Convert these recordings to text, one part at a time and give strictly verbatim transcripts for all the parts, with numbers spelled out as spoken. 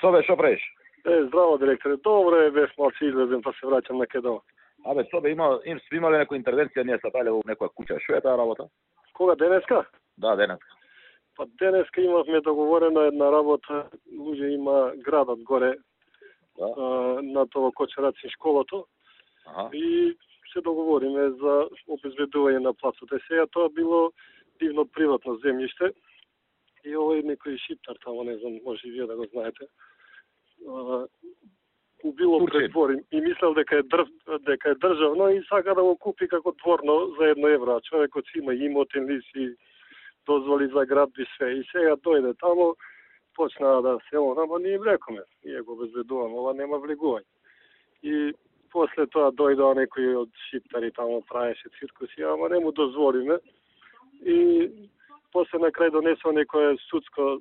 Sobe, što praviš? E, zdravo direktore, dobro je, već malo se izlazim pa se vraćam neke doma. A bе, Sobe, ima, im, svi imali neku intervenciju, nije sad dalje u nekoj kuća. Što je ta rabota? Koga, Deneska? Da, Deneska. Pa Deneska imamo dogovorena jedna rabota, luđe ima gradat gore, da. A, na to ko će raditi školo to. Aha. I se dogovorime za obezbedovanje na placu. Da se je to bilo divno privatno zemljište i ovo je neki šiptar tamo, ne znam, može i vi da ga znajete. A, u bilo pred dvorim i mislel дека je, drv, дека je državno i sad kada го kupi kako dvorno za jedno evro, a čovjek od ima imotin lisi, dozvoli za gradbi sve i сега dojde tamo, počna da se on, ama nije im rekao me, nije go bezbedovan, ova nema vliguvanja. I posle toga dojde neki od šiptari tamo praješe cirkusi, ama ne mu dozvoli me. I posle na kraj donesao neko je sudsko,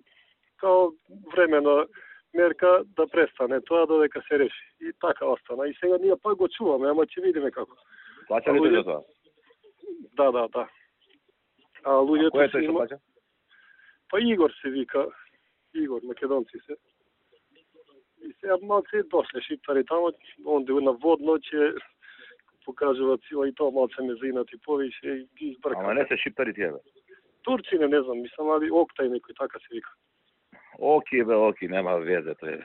kao vremeno merka da prestane to, dodeka se reši. I така ostana. I сега nije pa go čuvamo, ама će vidime kako. Plaćali te za to? Da, da, da. A, a ko je to što plaća? Pa Igor se vika, Igor, Makedonci se. I сега малце дошле шиптари тамо, онде на водно ќе покажува цила и тоа малце ме заинати повише и ги избркам. Ама не се шиптари тие, бе? Турчине, не знам, мислам, али Октай некој така се вика. Оки, бе, Оки, нема везе, тоа е.